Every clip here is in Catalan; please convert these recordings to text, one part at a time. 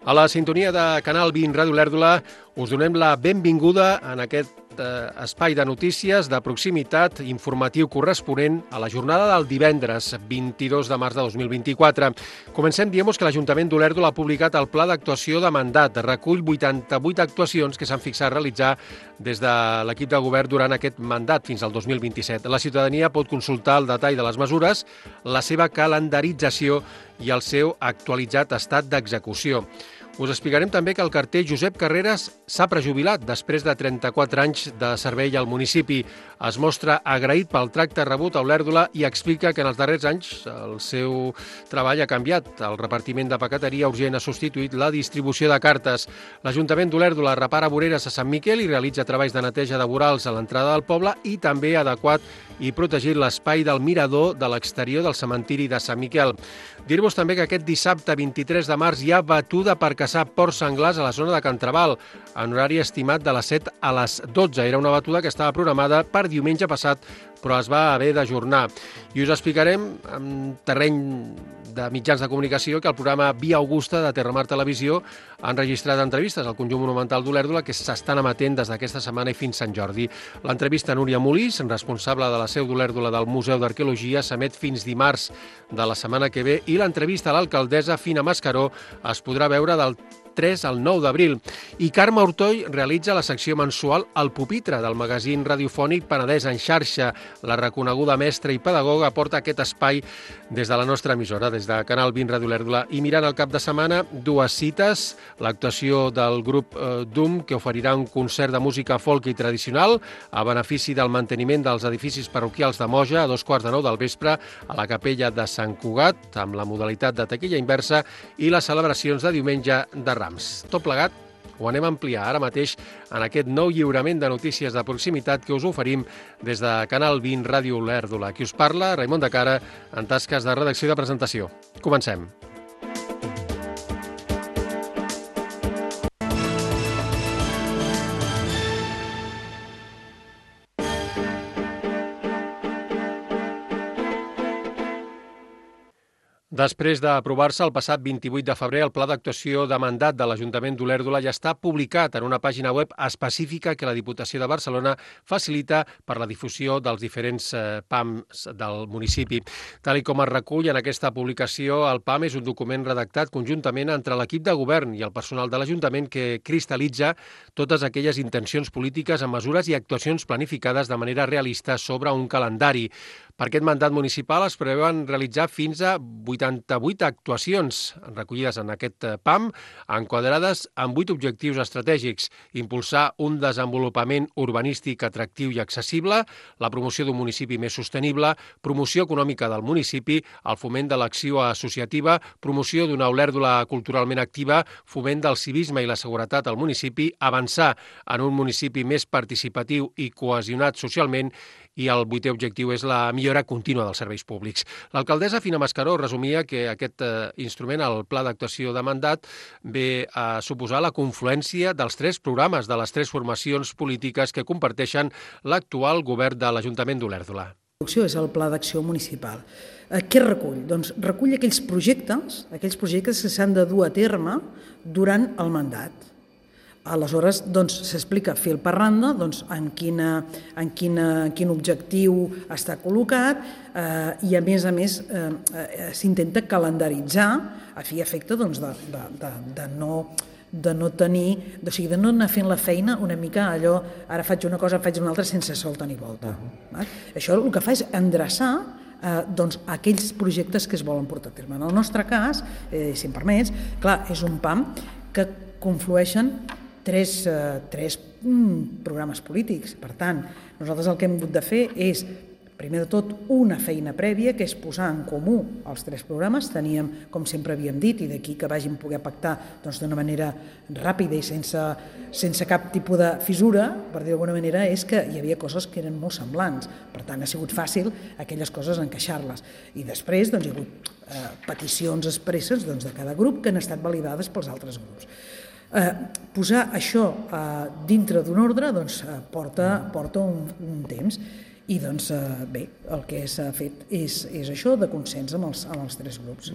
A la sintonia de Canal 20 Ràdio Olèrdola us donem la benvinguda en aquest espai de notícies de proximitat informatiu corresponent a la jornada del divendres 22 de març de 2024. Comencem dient-vos que l'Ajuntament d'Olèrdola ha publicat el Pla d'actuació de mandat. Recull 88 actuacions que s'han fixat a realitzar des de l'equip de govern durant aquest mandat fins al 2027. La ciutadania pot consultar el detall de les mesures, la seva calendarització i el seu actualitzat estat d'execució. Us explicarem també que el carter Josep Carreras s'ha prejubilat després de 34 anys de servei al municipi. Es mostra agraït pel tracte rebut a Olèrdola i explica que en els darrers anys el seu treball ha canviat. El repartiment de paqueteria urgent ha substituït la distribució de cartes. L'Ajuntament d'Olèrdola repara voreres a Sant Miquel i realitza treballs de neteja de vorals a l'entrada del poble i també ha adequat i protegit l'espai del mirador de l'exterior del cementiri de Sant Miquel. Dir-vos també que aquest dissabte 23 de març hi ha batuda per caçar porcs senglars a la zona de Can Trabal, en horari estimat de les 7 a les 12. Era una batuda que estava programada per diumenge passat, però es va haver d'ajornar. I us explicarem en terreny de mitjans de comunicació que el programa Via Augusta de Terramar Televisió ha enregistrat entrevistes al conjunt monumental d'Olèrdola que s'estan emetent des d'aquesta setmana i fins Sant Jordi. L'entrevista a Núria Molís, responsable de la seu d'Olèrdola del Museu d'Arqueologia, s'emet fins dimarts de la setmana que ve i l'entrevista a l'alcaldessa Fina Mascaró es podrà veure del 3 al 9 d'abril. I Carme Ortoll realitza la secció mensual El Pupitre del magazín radiofònic Penedès en xarxa. La reconeguda mestra i pedagoga porta aquest espai des de la nostra emissora, des de Canal 20 Ràdio Olèrdola. I mirant el cap de setmana, dues cites, l'actuació del grup DUM, que oferirà un concert de música folk i tradicional a benefici del manteniment dels edificis parroquials de Moja a 2:15 del vespre a la capella de Sant Cugat, amb la modalitat de taquilla inversa, i les celebracions de diumenge de Rams. Tot plegat ho anem a ampliar ara mateix en aquest nou lliurament de notícies de proximitat que us oferim des de Canal 20 Ràdio Olèrdola. Qui us parla, Raimon de Cara, en tasques de redacció i de presentació. Comencem. Després d'aprovar-se el passat 28 de febrer, el Pla d'actuació de mandat de l'Ajuntament d'Olèrdola ja està publicat en una pàgina web específica que la Diputació de Barcelona facilita per la difusió dels diferents PAMs del municipi. Tal com es recull en aquesta publicació, el PAM és un document redactat conjuntament entre l'equip de govern i el personal de l'Ajuntament que cristal·litza totes aquelles intencions polítiques amb mesures i actuacions planificades de manera realista sobre un calendari. Per aquest mandat municipal es preveuen realitzar fins a 88 actuacions recollides en aquest PAM, enquadrades en 8 objectius estratègics: impulsar un desenvolupament urbanístic atractiu i accessible, la promoció d'un municipi més sostenible, promoció econòmica del municipi, el foment de l'acció associativa, promoció d'una Olèrdola culturalment activa, foment del civisme i la seguretat al municipi, avançar en un municipi més participatiu i cohesionat socialment, i el 8è objectiu és la millora contínua dels serveis públics. L'alcaldessa Fina Mascaró resumia que aquest instrument, el Pla d'actuació de mandat, ve a suposar la confluència dels 3 programes de les 3 formacions polítiques que comparteixen l'actual govern de l'Ajuntament d'Olèrdola. És el Pla d'acció municipal. Què recull? Doncs recull aquells projectes que s'han de dur a terme durant el mandat. Aleshores, s'explica fil per randa en quin objectiu està col·locat i, a més, s'intenta calendaritzar a fi i efecte de no tenir, de no anar fent la feina una mica allò, ara faig una cosa, faig una altra sense solta ni volta. Això el que fa és endreçar aquells projectes que es volen portar a terme. En el nostre cas, si em permets, clar, és un PAM que conflueixen tres programes polítics. Per tant, nosaltres el que hem hagut de fer és, primer de tot, una feina prèvia, que és posar en comú els 3 programes. Teníem, com sempre havíem dit, i d'aquí que vàgim poder pactar d'una manera ràpida i sense cap tipus de fissura, per dir d'alguna manera, és que hi havia coses que eren molt semblants. Per tant, ha sigut fàcil aquelles coses encaixar-les. I després hi ha hagut peticions expresses de cada grup que han estat validades pels altres grups. Posar això dintre d'un ordre porta un temps i bé, el que s'ha fet és això de consens amb els 3 grups.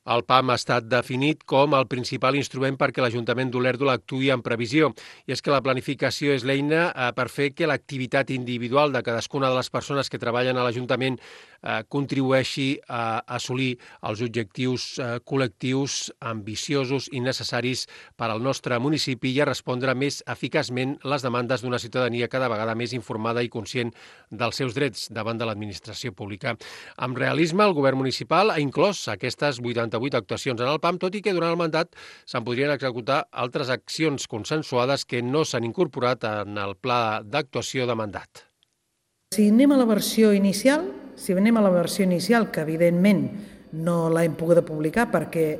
El PAM ha estat definit com el principal instrument perquè l'Ajuntament d'Olèrdola actuï en previsió. I és que la planificació és l'eina per fer que l'activitat individual de cadascuna de les persones que treballen a l'Ajuntament contribueixi a assolir els objectius col·lectius ambiciosos i necessaris per al nostre municipi i a respondre més eficaçment les demandes d'una ciutadania cada vegada més informada i conscient dels seus drets davant de l'administració pública. Amb realisme, el govern municipal ha inclòs aquestes 88 actuacions en el PAM, tot i que durant el mandat se'n podrien executar altres accions consensuades que no s'han incorporat en el pla d'actuació de mandat. Si anem a la versió inicial, que evidentment no l'hem pogut publicar perquè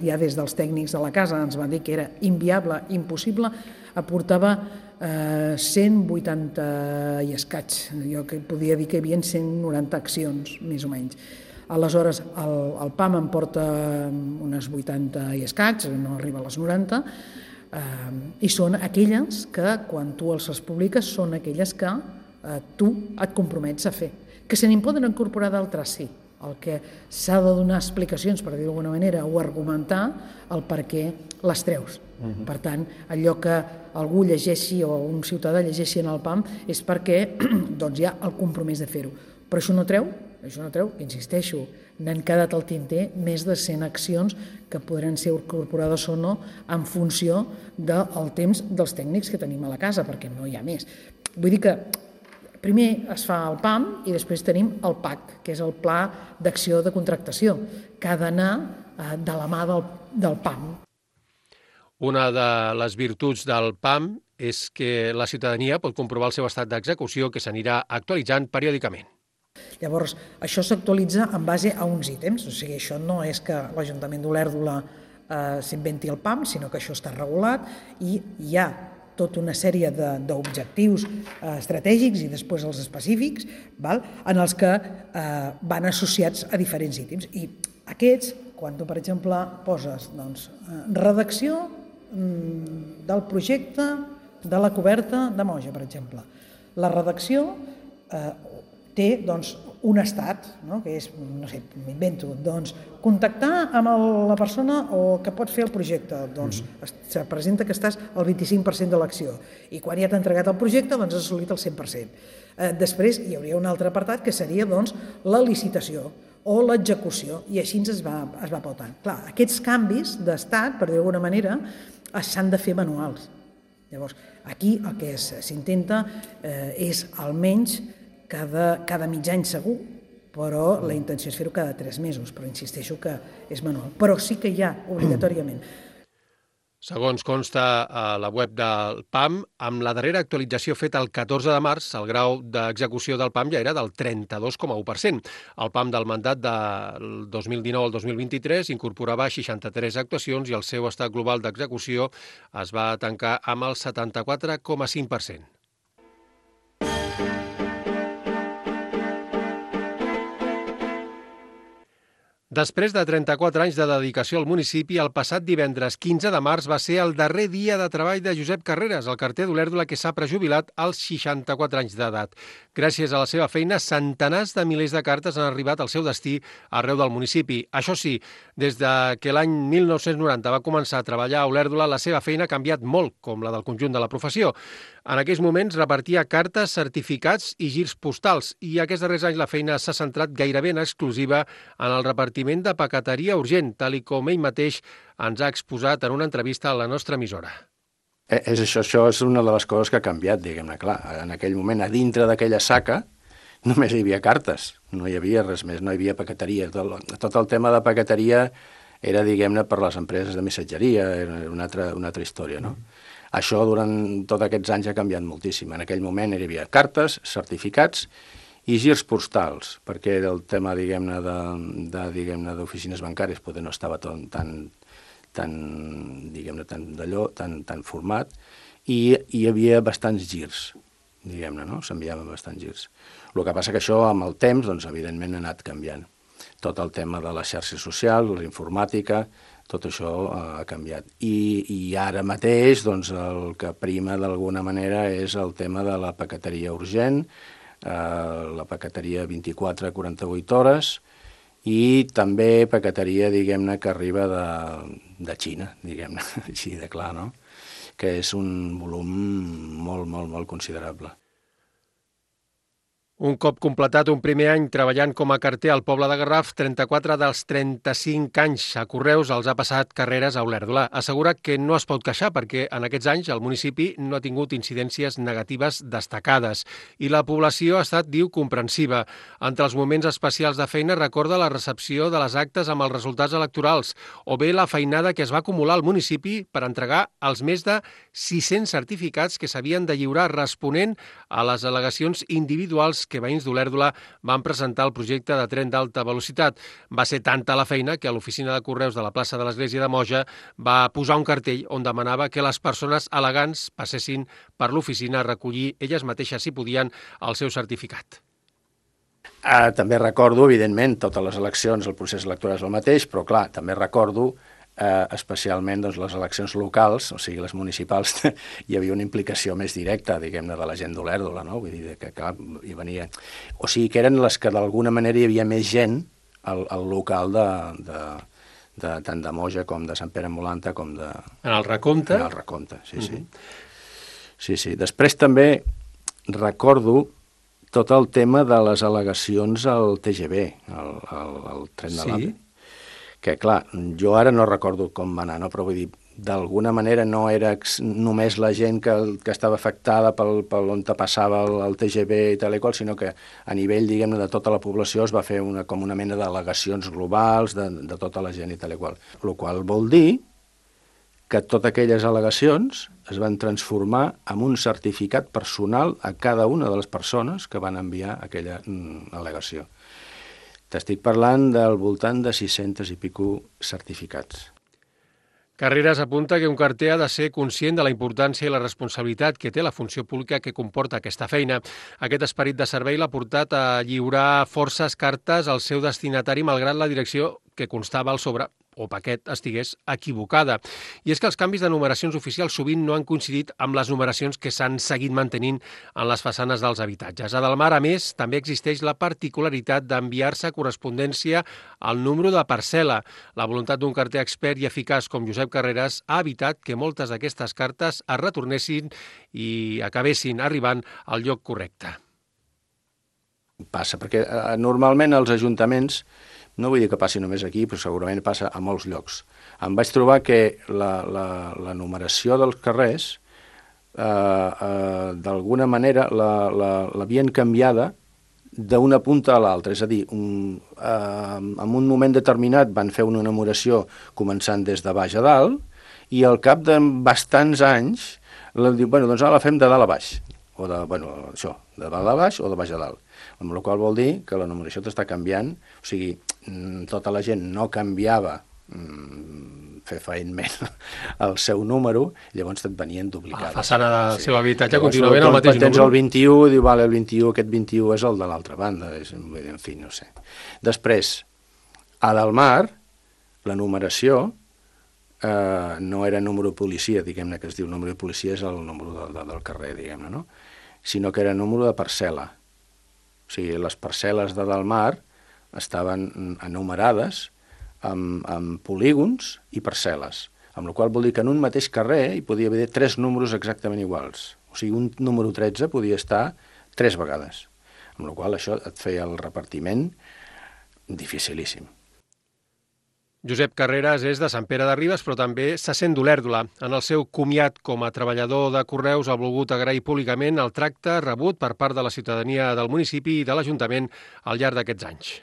ja des dels tècnics de la casa ens van dir que era inviable, impossible, aportava 180 i escaig. Jo que podia dir que hi havia 190 accions, més o menys. Aleshores, el PAM em porta unes 80 i escaig, no arriba a les 90, i són aquelles que, quan tu els publiques, són aquelles que tu et compromets a fer. Que se n'hi poden incorporar d'altres, sí. El que s'ha de donar explicacions, per dir d'alguna manera, o argumentar el per què les treus. Per tant, allò que algú llegeixi o un ciutadà llegeixi en el PAM és perquè doncs, hi ha el compromís de fer-ho. Però això no treu, que insisteixo, n'han quedat al tinter més de 100 accions que podran ser incorporades o no en funció del temps dels tècnics que tenim a la casa, perquè no hi ha més. Vull dir que primer es fa el PAM i després tenim el PAC, que és el Pla d'Acció de Contractació, que ha d'anar de la mà del PAM. Una de les virtuts del PAM és que la ciutadania pot comprovar el seu estat d'execució, que s'anirà actualitzant periòdicament. Llavors, això s'actualitza en base a uns ítems, o sigui, això no és que l'Ajuntament d'Olèrdola s'inventi el PAM, sinó que això està regulat i hi ha tota una sèrie d'objectius estratègics i després els específics, en els que van associats a diferents ítems. I aquests, quan tu, per exemple, poses redacció del projecte de la coberta de Moja, per exemple. La redacció té un estat, que és, no sé, m'invento, contactar amb la persona que pot fer el projecte. Se presenta que estàs al 25% de l'acció i quan ja t'ha entregat el projecte has assolit el 100%. Després hi hauria un altre apartat que seria la licitació o l'execució i així es va pautant. Clar, aquests canvis d'estat, per dir d'alguna manera, s'han de fer manuals. Llavors, aquí el que s'intenta és almenys cada mig any segur, però la intenció és fer-ho cada 3 mesos, però insisteixo que és manual. Però sí que hi ha, obligatòriament. Segons consta a la web del PAM, amb la darrera actualització feta el 14 de març, el grau d'execució del PAM ja era del 32,1%. El PAM del mandat del 2019 al 2023 incorporava 63 actuacions i el seu estat global d'execució es va tancar amb el 74,5%. Després de 34 anys de dedicació al municipi, el passat divendres 15 de març va ser el darrer dia de treball de Josep Carreras, el carter d'Olèrdola que s'ha prejubilat als 64 anys d'edat. Gràcies a la seva feina, centenars de milers de cartes han arribat al seu destí arreu del municipi. Això sí, des que l'any 1990 va començar a treballar a Olèrdola, la seva feina ha canviat molt, com la del conjunt de la professió. En aquells moments repartia cartes, certificats i girs postals i aquests darrers anys la feina s'ha centrat gairebé en exclusiva en el repartiment de paqueteria urgent, tal com ell mateix ens ha exposat en una entrevista a la nostra emissora. Això és una de les coses que ha canviat, diguem-ne, clar. En aquell moment, a dintre d'aquella saca, només hi havia cartes, no hi havia res més, no hi havia paqueteria. Tot el tema de paqueteria era, diguem-ne, per les empreses de missatgeria, era una altra història, no? Això durant tots aquests anys ha canviat moltíssim. En aquell moment hi havia cartes, certificats i girs postals, perquè era el tema, diguem-ne, d'oficines bancàries, potser no estava tan format, i hi havia bastants girs, diguem-ne, no? S'enviaven bastants girs. El que passa que això, amb el temps, doncs, evidentment, ha anat canviant. Tot el tema de les xarxes socials, la informàtica, tot això ha canviat. I ara mateix doncs, el que prima d'alguna manera és el tema de la paqueteria urgent, la paqueteria 24 a 48 hores i també paqueteria, diguem-ne, que arriba de Xina, diguem-ne, així de clar, no? Que és un volum molt, molt, molt considerable. Un cop completat un primer any treballant com a carter al poble de Garraf, 34 dels 35 anys a Correus els ha passat carreres a Olèrdola. Assegura que no es pot queixar perquè en aquests anys el municipi no ha tingut incidències negatives destacades i la població ha estat, diu, comprensiva. Entre els moments especials de feina recorda la recepció de les actes amb els resultats electorals o bé la feinada que es va acumular al municipi per entregar els més de 600 certificats que s'havien de lliurar responent a les al·legacions individuals que veïns d'Olèrdola van presentar el projecte de tren d'alta velocitat. Va ser tanta la feina que a l'oficina de Correus de la plaça de l'Església de Moja va posar un cartell on demanava que les persones al·legants passessin per l'oficina a recollir elles mateixes, si podien, el seu certificat. També recordo, evidentment, totes les eleccions, el procés electoral és el mateix, però clar, també recordo especialment les eleccions locals, o sigui, les municipals, hi havia una implicació més directa, diguem-ne, de la gent d'Olèrdola, no? Vull dir que clar, hi venia... O sigui, que eren les que d'alguna manera hi havia més gent al local tant de Moja com de Sant Pere Molanta com de... En el recompte? En el recompte, sí, sí. Sí. Després també recordo tot el tema de les al·legacions al TGV, al tren de l'AVE, que clar, jo ara no recordo com va anar, no? Però vull dir, d'alguna manera no era només la gent que estava afectada per on passava el TGV i tal i qual, sinó que a nivell, diguem-ne, de tota la població es va fer com una mena d'al·legacions globals de tota la gent i tal i qual. El qual vol dir que totes aquelles al·legacions es van transformar en un certificat personal a cada una de les persones que van enviar aquella al·legació. T'estic parlant del voltant de 600 i pico certificats. Carreras apunta que un carter ha de ser conscient de la importància i la responsabilitat que té la funció pública que comporta aquesta feina. Aquest esperit de servei l'ha portat a lliurar forces cartes al seu destinatari malgrat la direcció que constava al sobre o paquet estigués equivocada. I és que els canvis de numeracions oficials sovint no han coincidit amb les numeracions que s'han seguit mantenint en les façanes dels habitatges. A Delmar, a més, també existeix la particularitat d'enviar-se correspondència al número de parcel·la. La voluntat d'un carter expert i eficaç com Josep Carreras ha evitat que moltes d'aquestes cartes es retornessin i acabessin arribant al lloc correcte. Passa, perquè normalment els ajuntaments, no vull dir que passi només aquí, però segurament passa a molts llocs. Em vaig trobar que la numeració dels carrers, d'alguna manera, l'havien canviada d'una punta a l'altra. És a dir, en un moment determinat van fer una numeració començant des de baix a dalt i al cap de bastants anys diu, doncs ara la fem de dalt a baix. O de dalt a baix o de baix a dalt. Amb la qual vol dir que la numeració t'està canviant, o sigui, tota la gent no canviava fefaentment el seu número, llavors et venien duplicades. La façana del seu habitatge continua ben el mateix número. Tens el 21, diu, vale, el 21, aquest 21 és el de l'altra banda, en fi, no sé. Després, a Delmar, la numeració no era número de policia, diguem-ne que es diu número de policia, és el número del carrer, diguem-ne, no? Sinó que era número de parcel·la. O sigui, les parcel·les de Delmar estaven enumerades amb polígons i parcel·les, amb la qual vol dir que en un mateix carrer hi podia haver 3 números exactament iguals. O sigui, un número 13 podia estar 3 vegades, amb la qual això et feia el repartiment dificilíssim. Josep Carreras és de Sant Pere de Ribes, però també se sent d'Olèrdola. En el seu comiat com a treballador de Correus ha volgut agrair públicament el tracte rebut per part de la ciutadania del municipi i de l'Ajuntament al llarg d'aquests anys.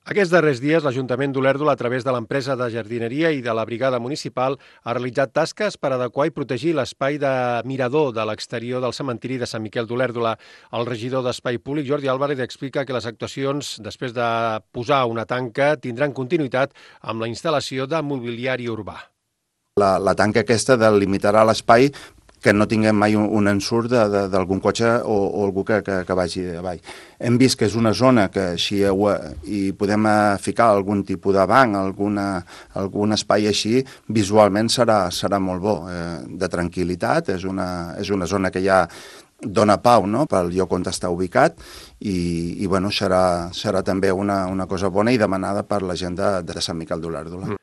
Aquests darrers dies, l'Ajuntament d'Olèrdola, a través de l'empresa de jardineria i de la brigada municipal, ha realitzat tasques per adequar i protegir l'espai de mirador de l'exterior del cementiri de Sant Miquel d'Olèrdola. El regidor d'Espai Públic, Jordi Álvarez, explica que les actuacions, després de posar una tanca, tindran continuïtat amb la instal·lació de mobiliari urbà. La tanca aquesta delimitarà l'espai que no tinguem mai un ensurt d'algun cotxe o algú que vagi avall. Hem vist que és una zona que així hi podem ficar algun tipus de banc, algun espai així, visualment serà molt bo, de tranquil·litat, és una zona que ja dona pau, no?, pel lloc on està ubicat i bueno, serà també una cosa bona i demanada per la gent de Sant Miquel d'Olèrdola.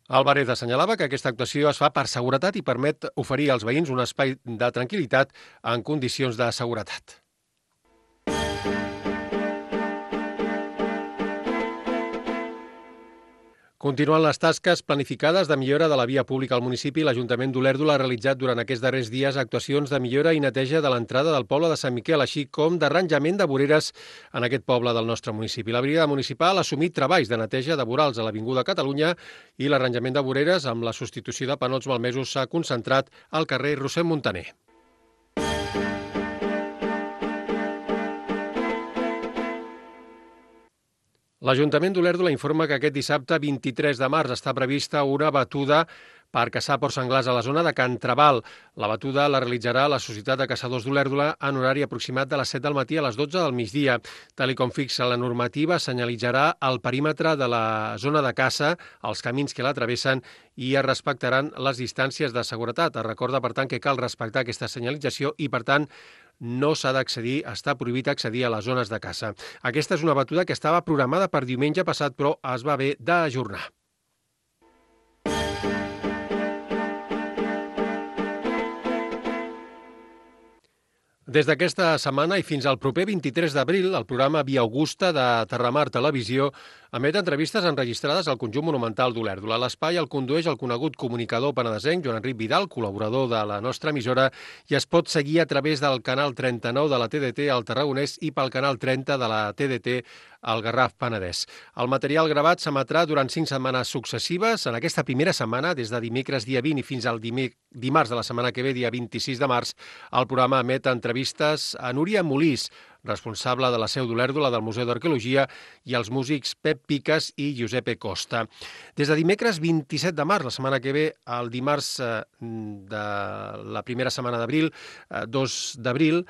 Álvarez assenyalava que aquesta actuació es fa per seguretat i permet oferir als veïns un espai de tranquil·litat en condicions de seguretat. Continuant les tasques planificades de millora de la via pública al municipi, l'Ajuntament d'Olèrdola ha realitzat durant aquests darrers dies actuacions de millora i neteja de l'entrada del poble de Sant Miquel, així com d'arranjament de voreres en aquest poble del nostre municipi. La brigada municipal ha assumit treballs de neteja de vorals a l'Avinguda Catalunya i l'arranjament de voreres amb la substitució de panots malmesos s'ha concentrat al carrer Roser Montaner. L'Ajuntament d'Olèrdola informa que aquest dissabte 23 de març està prevista una batuda per caçar porcs senglars a la zona de Can Trabal. La batuda la realitzarà la Societat de Caçadors d'Olèrdola en horari aproximat de les 7 del matí a les 12 del migdia. Tal com fixa la normativa, senyalitzarà el perímetre de la zona de caça, els camins que la travessen i es respectaran les distàncies de seguretat. Es recorda, per tant, que cal respectar aquesta senyalització i, per tant, no s'ha d'accedir, està prohibit accedir a les zones de caça. Aquesta és una batuda que estava programada per diumenge passat, però es va haver d'ajornar. Des d'aquesta setmana i fins al proper 23 d'abril, el programa Via Augusta de Terramar Televisió emet entrevistes enregistrades al conjunt monumental d'Olèrdola. L'espai el condueix el conegut comunicador penedesenc Joan Enric Vidal, col·laborador de la nostra emissora, i es pot seguir a través del canal 39 de la TDT al Tarragonès i pel canal 30 de la TDT al Garraf Penedès. El material gravat s'emetrà durant 5 setmanes successives. En aquesta primera setmana, des de dimecres dia 20 i fins al dimarts de la setmana que ve, dia 26 de març, el programa emet entrevistes a Núria Molís, responsable de la seu d'Olèrdola del Museu d'Arqueologia, i els músics Pep Piques i Giuseppe Costa. Des de dimecres 27 de març, la setmana que ve, al dimarts de la primera setmana d'abril, 2 d'abril,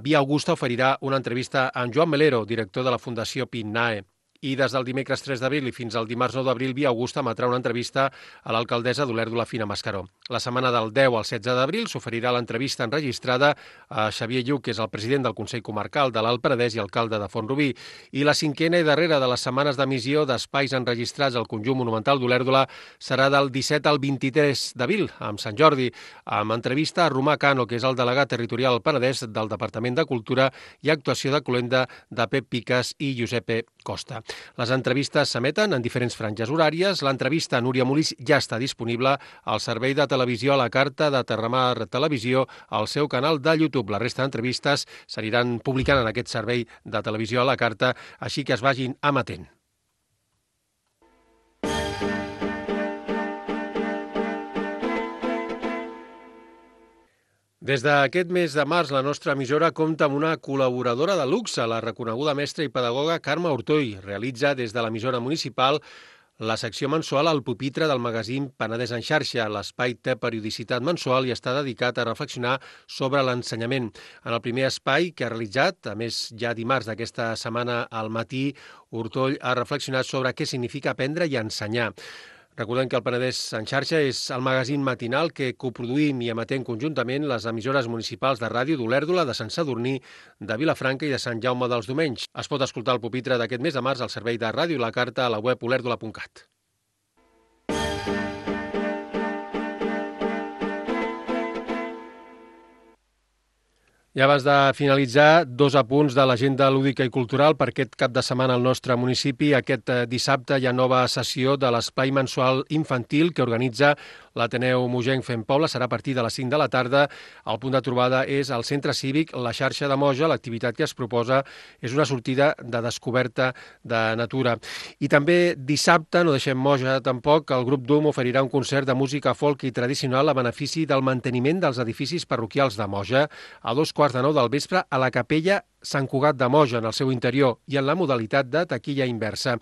Via Augusta oferirà una entrevista a en Joan Melero, director de la Fundació PINNAE. I des del dimecres 3 d'abril i fins al dimarts 9 d'abril, Via Augusta emetrà una entrevista a l'alcaldessa d'Olèrdola, Fina Mascaró. La setmana del 10 al 16 d'abril s'oferirà l'entrevista enregistrada a Xavier Lluc, que és el president del Consell Comarcal de l'Alt Penedès i alcalde de Font-rubí. I la cinquena i darrera de les setmanes d'emissió d'espais enregistrats al conjunt monumental d'Olèrdola serà del 17 al 23 d'abril, amb Sant Jordi, amb entrevista a Romà Cano, que és el delegat territorial al Penedès del Departament de Cultura, i actuació de cloenda de Pep Piques i Giuseppe Costa. Les entrevistes s'emeten en diferents franges horàries. L'entrevista a Núria Molís ja està disponible al servei de televisió a la carta de Terramar Televisió al seu canal de YouTube. La resta d'entrevistes s'aniran publicant en aquest servei de televisió a la carta, així que es vagin emetent. Des d'aquest mes de març, la nostra emissora compta amb una col·laboradora de luxe, la reconeguda mestra i pedagoga Carme Ortoll. Realitza des de l'emissora municipal la secció mensual al pupitre del magazín Penedès en xarxa. L'espai té periodicitat mensual i està dedicat a reflexionar sobre l'ensenyament. En el primer espai que ha realitzat, a més ja dimarts d'aquesta setmana al matí, Ortoll ha reflexionat sobre què significa aprendre i ensenyar. Recordem que el Penedès en xarxa és el magazín matinal que coproduïm i emetem conjuntament les emissores municipals de ràdio d'Olèrdola, de Sant Sadurní, de Vilafranca i de Sant Jaume dels Domenys. Es pot escoltar el pupitre d'aquest mes de març al servei de Ràdio La Carta a la web olèrdola.cat. I abans de finalitzar, 2 apunts de l'agenda lúdica i cultural per aquest cap de setmana al nostre municipi. Aquest dissabte hi ha nova sessió de l'espai mensual infantil que organitza l'Ateneu Mogenc Fem Poble. Serà a partir de les 5 de la tarda. El punt de trobada és el Centre Cívic La Xarxa de Moja. L'activitat que es proposa és una sortida de descoberta de natura. I també dissabte, no deixem Moja tampoc, el grup DUM oferirà un concert de música folk i tradicional a benefici del manteniment dels edificis parroquials de Moja a 2:15 del vespre a la capella Sant Cugat de Moja en el seu interior i en la modalitat de taquilla inversa.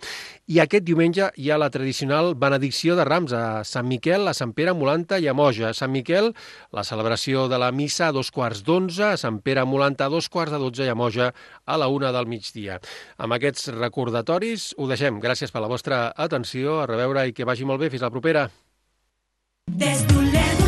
I aquest diumenge hi ha la tradicional benedicció de Rams a Sant Miquel, a Sant Pere, Molanta i a Moja. A Sant Miquel, la celebració de la missa a 2:15, a Sant Pere, Molanta a 2:12 i a Moja a la 1 del migdia. Amb aquests recordatoris ho deixem. Gràcies per la vostra atenció, a reveure i que vagi molt bé. Fins la propera. Des d'Olesa